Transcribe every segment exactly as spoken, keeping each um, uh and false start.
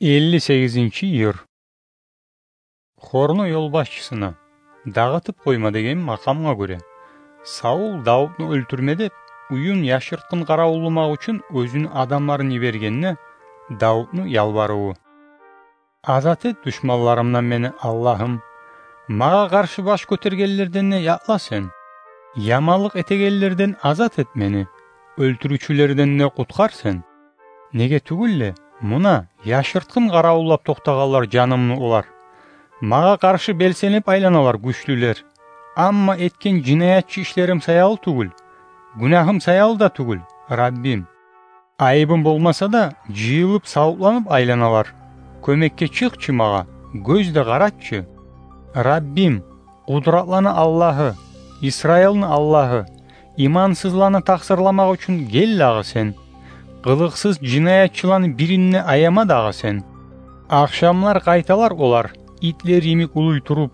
Элли сегизинчи йыр. Хорну ёлбашчысына «Дагъытып къойма» деген макъамгъа гёре, Саул Давутну оьлтюрме деп, уьюн яшыртгъын къаравулламакъ учун оьзюню адамларын йибергенде, Давутну ялбарыву. «Азат эт душманларымдан мени, Аллагьым. Магъа къаршы баш гётергенлерден де якъла сен. Яманлыкъ этегенлерден азат эт мени, оьлтюрювчюлерден де къутгъар сен. Неге тюгюл де, муна, яшыртгъын къаравуллап токътагъанлар жанымны олар. Магъа къаршы белсенип айланалар гючлюлер. Амма этген жинаятчы ишлерим саялы тюгюл, гюнагьым саялы да тюгюл, Раббим. Айыбым болмаса да, жыйылып, савутланып айланалар. Кёмекге чыкъчы магъа, гёз де къаратчы. Раббим, къудратланы Аллагьы, Исраилни Аллагьы, имансызланы такъсырламакъ учун гел дагъы сен. Къылыкъсыз жинаятчыланы бирин де аяма дагъы сен. Ахшамлар къайталар олар, итлер йимик улуй туруп,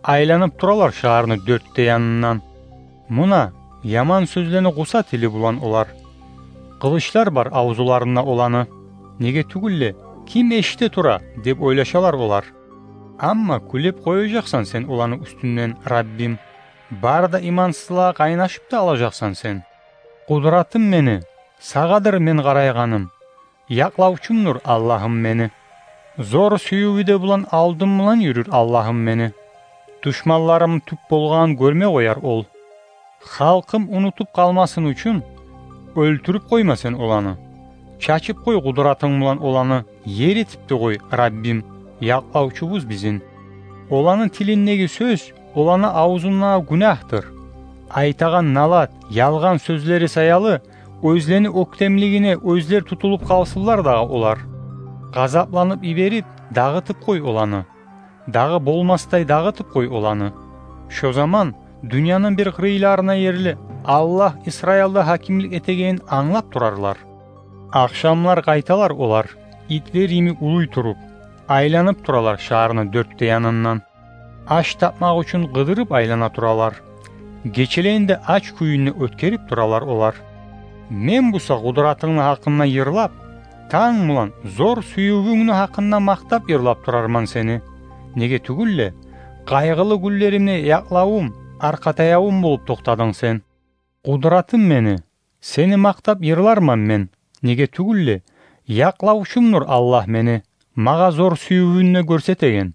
айланып туралар шагьарны дёрт де янындан. Муна, яман сёзлени къуса тили булан олар. Къылычлар бар авзуларында оланы. Неге тюгюл де, ким эшите тура деп ойлашалар олар. Амма кюлеп къояжакъсан сен оланы уьстюнден, Раббим. Бары да имансызлагъа къайнашып да алажакъсан сен. Къудратым мени, сагъадыр мен къарайгъаным. Якълавчумдур Аллагьым мени. Зор сюювю де булан алдым булан юрюр Аллагьым мени. Душманларым тюп болгъанын гёрме къояр ол. Халкъым унутуп къалмасын учун, оьлтюрюп къойма сен оланы. Чачып къой къудратынг булан оланы, ер этип де къой, Раббим, якълавчубуз бизин. Оланы тилиндеги сёз, оланы авзундагъы гюнагьдыр. Айтагъан налат, ялгъан сёзлери саялы, оьзлени оьктемлигине оьзлер тутулуп къалсынлар дагъы олар. Къазапланып йиберип, дагъытып къой оланы. Дагъы болмасдай дагъытып къой оланы. Шо заман дюньяны бир къырыйларына ерли Аллагь Исраилда гьакимлик этегенин англап турарлар. Ахшамлар къайталар олар, итлер йимик улуй туруп, айланып туралар шагьарны дёрт де янындан. Аш тапмакъ учун къыдырып айлана туралар. Гечелени де ач кюйюнде оьтгерип туралар олар. Мен буса къудратынгны гьакъында йырлап, танг булан зор сюювюнгню гьакъында макътап йырлап турарман сени. Неге тюгюл де, къайгъылы гюнлеримде якълавум, аркъатаявум болуп токътадынг сен. Къудратым мени, сени макътап йырларман мен. Неге тюгюл де, якълавчумдур Аллагь мени, магъа зор сюювюн де гёрсетеген.